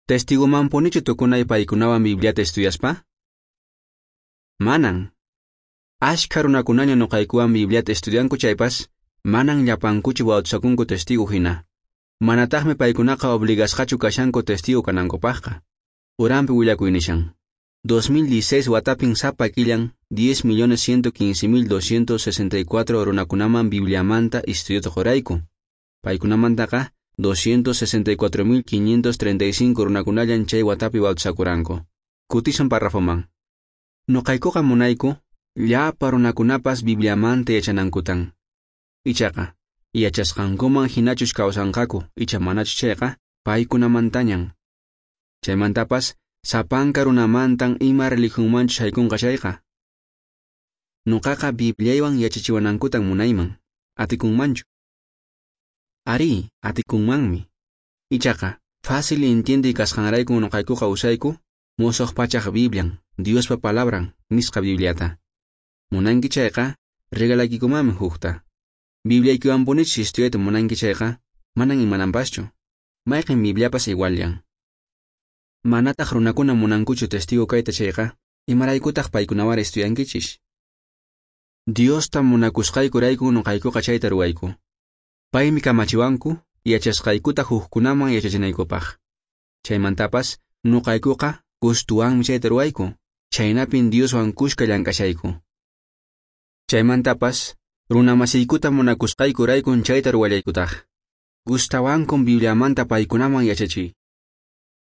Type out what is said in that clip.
Testigomanpunichu tukunay paykunawan Bibliata estudiaspa? Manan. Ashkha runakunaña nuqaykuwan Bibliata estudianku chaypas, manan llapankuchu bautizakunku testigo hina. Manataqmi paykunaqa obligasqachu kashanku testigo kanankupaqqa. Uranpi willakuy nishan. 2016 watapin sapa killan 10.115.264 runakunaman Bibliamanta estudiota qorayku. Paykunamantaqa 264.535 runakunallan chay watapi bautizakuranku. Kutisun parrafoman. Nuqaykuqa munayku llapa runakunapas Bibliamanta yachanankutan. Ichaqa, yachasqankuman hinachus kawsanqaku icha manachus chayqa paykunamantañan. Chaymantapas sapanka runamantan ima religionmanchus haykunqa chayqa. Nuqaqa Bibliaywan yachachiwanankutan munayman. Atikunmanchu? Ari, atikunmanmi. Ichaqa, fácil entiende kasqanrayku nuqaykuqa usayku musuq pachaq Biblian, Diospa palabran, nisqa Bibliata. Munanki chayqa, regalaykikumanmi hukta. Bibliaykiwanpunichus estudiayta munanki chayqa, manan imananpaschu. Mayqin Bibliapas iguallan. Manataq runakuna munankuchu testigo kayta chayqa, imaraykutaq paykunawara estudiankichis? Diosta munakusqaykurayku nuqaykuqa chayta ruwayku. Paymi kamachiwanku yachasqaykuta hukkunaman yachachinaykupaq. Chaymantapas nuqaykuqa gustuwanmi chayta ruwayku, chaynapin Dioswan kushka llank'ashayku. Chaymantapas runamasiykuta munakusqaykuraykun chayta ruwallaykutaq. Gustawankun Bibliamanta paykunaman yachachiy.